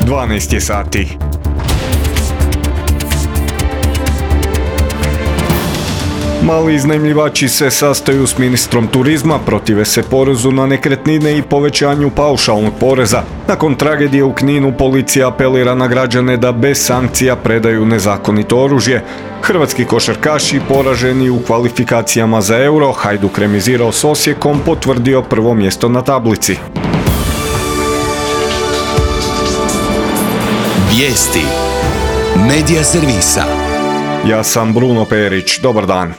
12 je sati. Mali iznajmljivači se sastaju s ministrom turizma, protive se porezu na nekretnine i povećanju paušalnog poreza. Nakon tragedije u Kninu policija apelira na građane da bez sankcija predaju nezakonito oružje. Hrvatski košarkaši poraženi u kvalifikacijama za Euro, Hajduk remizirao s Osijekom, potvrdio prvo mjesto na tablici. Vijesti Medija servisa. Ja sam Bruno Perić, dobar dan.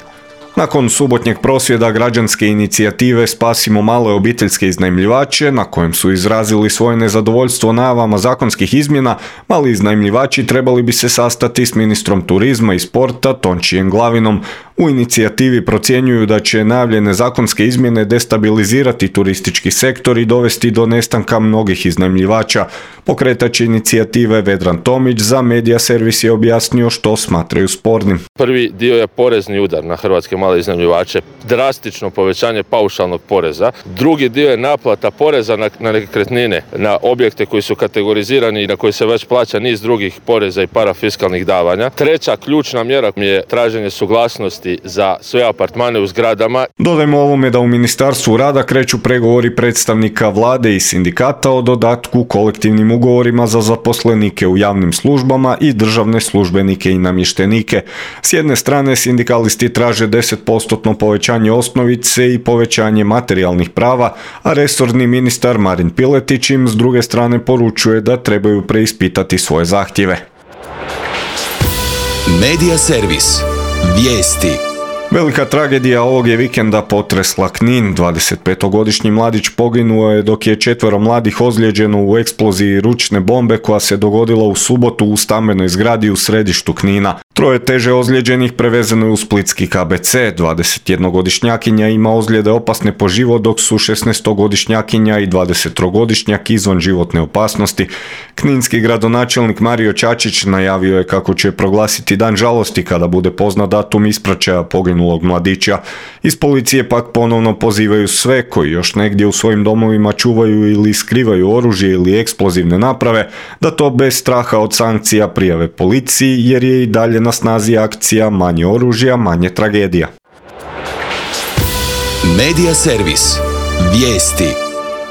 Nakon subotnjeg prosvjeda građanske inicijative Spasimo male obiteljske iznajmljivače, na kojem su izrazili svoje nezadovoljstvo najavama zakonskih izmjena, mali iznajmljivači trebali bi se sastati s ministrom turizma i sporta Tončijem Glavinom. U inicijativi procjenjuju da će najavljene zakonske izmjene destabilizirati turistički sektor i dovesti do nestanka mnogih iznajmljivača. Pokretač inicijative Vedran Tomić za Medija servis je objasnio što smatraju spornim. Prvi dio je porezni udar na hrvatske male iznajmljivače, drastično povećanje paušalnog poreza. Drugi dio je naplata poreza na nekretnine, na objekte koji su kategorizirani i na koji se već plaća niz drugih poreza i parafiskalnih davanja. Treća ključna mjera je traženje suglasnosti za sve apartmane u zgradama. Dodajmo ovome da u Ministarstvu rada kreću pregovori predstavnika vlade i sindikata o dodatku kolektivnim ugovorima za zaposlenike u javnim službama i državne službenike i namještenike. S jedne strane sindikalisti traže 10% povećanje osnovice i povećanje materijalnih prava, a resorni ministar Marin Piletić im s druge strane poručuje da trebaju preispitati svoje zahtjeve. Medija servis. Vijesti. Velika tragedija ovog je vikenda potresla Knin. 25-godišnji mladić poginuo je dok je 4 mladih ozlijeđeno u eksploziji ručne bombe koja se dogodila u subotu u stambenoj zgradi u središtu Knina. 3 teže ozlijeđenih prevezeno je u splitski KBC. 21-godišnjakinja ima ozljede opasne po život, dok su 16-godišnjakinja i 23-godišnjak izvan životne opasnosti. Kninski gradonačelnik Mario Čačić najavio je kako će proglasiti dan žalosti kada bude poznat datum ispraćaja poginulog mladića. Iz policije pak ponovno pozivaju sve koji još negdje u svojim domovima čuvaju ili skrivaju oružje ili eksplozivne naprave da to bez straha od sankcija prijave policiji, jer je i dalje na snazi akcija Manje oružja, manje tragedija. Medija servis. Vijesti.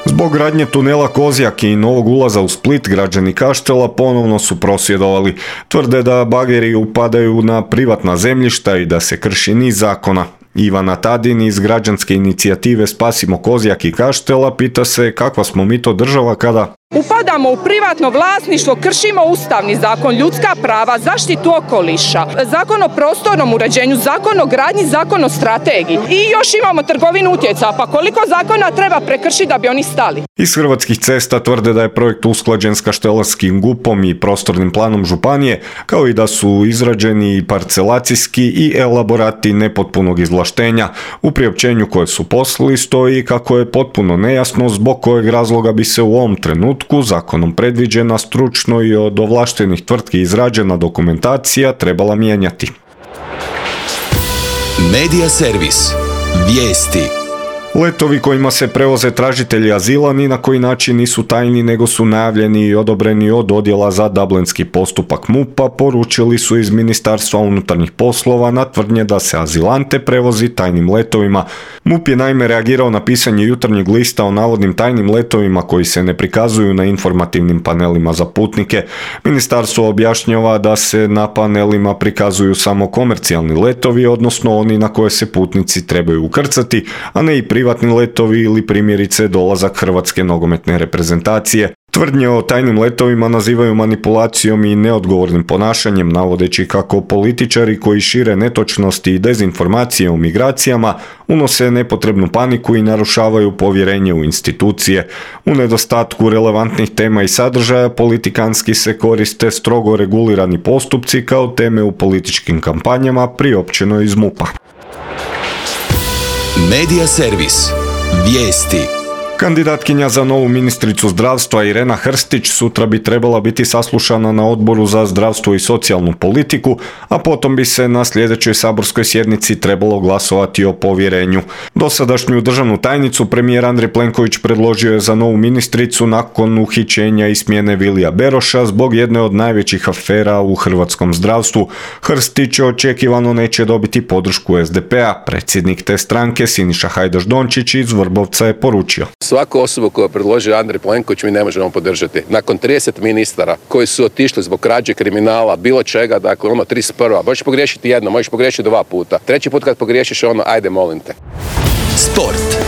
Zbog gradnje tunela Kozjak i novog ulaza u Split, građani Kaštela ponovno su prosvjedovali. Tvrde da bageri upadaju na privatna zemljišta i da se krši niz zakona. Ivana Tadin iz građanske inicijative Spasimo Kozjak i Kaštela pita se kakva smo mi to država kada upadamo u privatno vlasništvo, kršimo ustavni zakon, ljudska prava, zaštitu okoliša, zakon o prostornom uređenju, zakon o gradnji, zakon o strategiji i još imamo trgovinu utjecaja. Pa koliko zakona treba prekršiti da bi oni stali? Iz Hrvatskih cesta tvrde da je projekt usklađen s kaštelanskim GUP-om i prostornim planom županije, kao i da su izrađeni parcelacijski i elaborati nepotpunog izvlaštenja. U priopćenju koje su poslali stoji kako je potpuno nejasno zbog kojeg razloga bi se u ovom trenutku zakonom predviđena stručno i od ovlaštenih tvrtki izrađena dokumentacija trebala mijenjati. Medija servis. Vijesti. Letovi kojima se prevoze tražitelji azila ni na koji način nisu tajni nego su najavljeni i odobreni od odjela za dublinski postupak MUP-a, poručili su iz Ministarstva unutarnjih poslova na tvrdnje da se azilante prevozi tajnim letovima. MUP je naime reagirao na pisanje Jutarnjeg lista o navodnim tajnim letovima koji se ne prikazuju na informativnim panelima za putnike. Ministarstvo objašnjava da se na panelima prikazuju samo komercijalni letovi, odnosno oni na koje se putnici trebaju ukrcati, a ne i privatni letovi ili primjerice dolazak hrvatske nogometne reprezentacije. Tvrdnje o tajnim letovima nazivaju manipulacijom i neodgovornim ponašanjem, navodeći kako političari koji šire netočnosti i dezinformacije o migracijama unose nepotrebnu paniku i narušavaju povjerenje u institucije. U nedostatku relevantnih tema i sadržaja politikanski se koriste strogo regulirani postupci kao teme u političkim kampanjama, priopćeno iz MUP-a. Medija servis. Vijesti. Kandidatkinja za novu ministricu zdravstva Irena Hrstić sutra bi trebala biti saslušana na Odboru za zdravstvo i socijalnu politiku, a potom bi se na sljedećoj saborskoj sjednici trebalo glasovati o povjerenju. Dosadašnju državnu tajnicu premijer Andrej Plenković predložio je za novu ministricu nakon uhićenja i smjene Vilija Beroša zbog jedne od najvećih afera u hrvatskom zdravstvu. Hrstić očekivano neće dobiti podršku SDP-a. Predsjednik te stranke Siniša Hajdaš Dončić iz Vrbovca je poručio: Svaku osobu koju je predložio Andrej Plenković mi ne možemo podržati. Nakon 30 ministara koji su otišli zbog krađe, kriminala, bilo čega, dakle 31. Možeš pogriješiti jedno, možeš pogriješiti 2 puta. 3. put kad pogriješiš ajde molim te. Sport.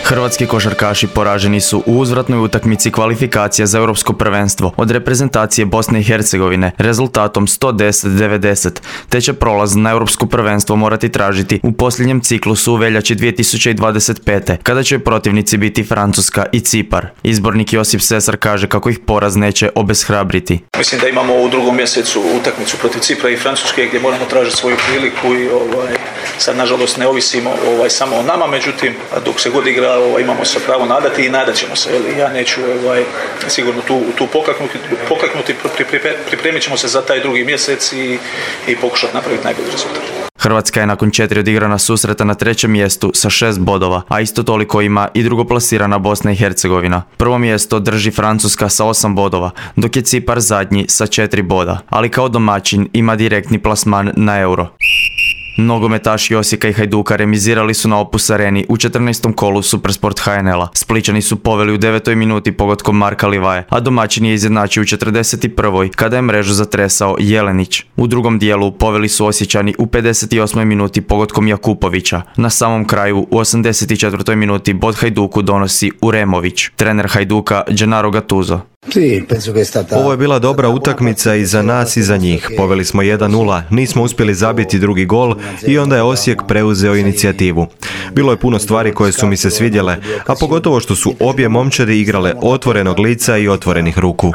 Hrvatski košarkaši poraženi su u uzvratnoj utakmici kvalifikacija za europsko prvenstvo od reprezentacije Bosne i Hercegovine rezultatom 110-90, te će prolaz na europsko prvenstvo morati tražiti u posljednjem ciklusu u veljači 2025. kada će protivnici biti Francuska i Cipar. Izbornik Josip Sesar kaže kako ih poraz neće obeshrabriti. Mislim da imamo u drugom mjesecu utakmicu protiv Cipra i Francuske gdje moramo tražiti svoju priliku i sad nažalost ne ovisimo samo o nama, međutim dok se god igra imamo se pravo nadati i nadat ćemo se. Ja neću sigurno tu pokaknuti, pripremit ćemo se za taj drugi mjesec i pokušati napraviti najbolji rezultat. Hrvatska je nakon 4 odigrana susreta na 3. mjestu sa 6 bodova, a isto toliko ima i drugoplasirana Bosna i Hercegovina. Prvo mjesto drži Francuska sa 8 bodova, dok je Cipar zadnji sa 4 boda, ali kao domaćin ima direktni plasman na Euro. Nogometaši Osijeka i Hajduka remizirali su na Opus Areni u 14. kolu Supersport HNL-a. Splićani su poveli u 9. minuti pogodkom Marka Livaje, a domaćin je izjednačio u 41. kada je mrežu zatresao Jelenić. U drugom dijelu poveli su Osječani u 58. minuti pogodkom Jakupovića. Na samom kraju u 84. minuti bod Hajduku donosi Uremović. Trener Hajduka Gennaro Gattuso: Ovo je bila dobra utakmica i za nas i za njih. Poveli smo 1-0, nismo uspjeli zabiti drugi gol i onda je Osijek preuzeo inicijativu. Bilo je puno stvari koje su mi se svidjele, a pogotovo što su obje momčadi igrale otvorenog lica i otvorenih ruku.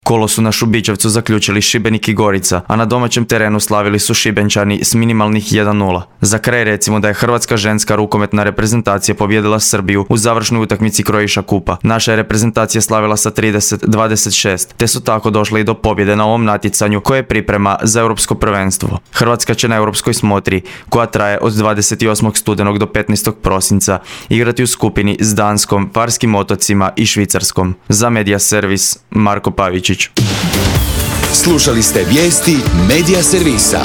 Kolo su na Šubićevcu zaključili Šibenik i Gorica, a na domaćem terenu slavili su Šibenčani s minimalnih 1-0. Za kraj recimo da je hrvatska ženska rukometna reprezentacija pobijedila Srbiju u završnoj utakmici Croatia Kupa. Naša je reprezentacija slavila sa 30-26, te su tako došli i do pobjede na ovom natjecanju koje priprema za europsko prvenstvo. Hrvatska će na europskoj smotri, koja traje od 28. studenog do 15. prosinca, igrati u skupini s Danskom, Farskim otocima i Švicarskom. Za Media Servis, Marko Pavić. Slušali ste vijesti Media Servisa.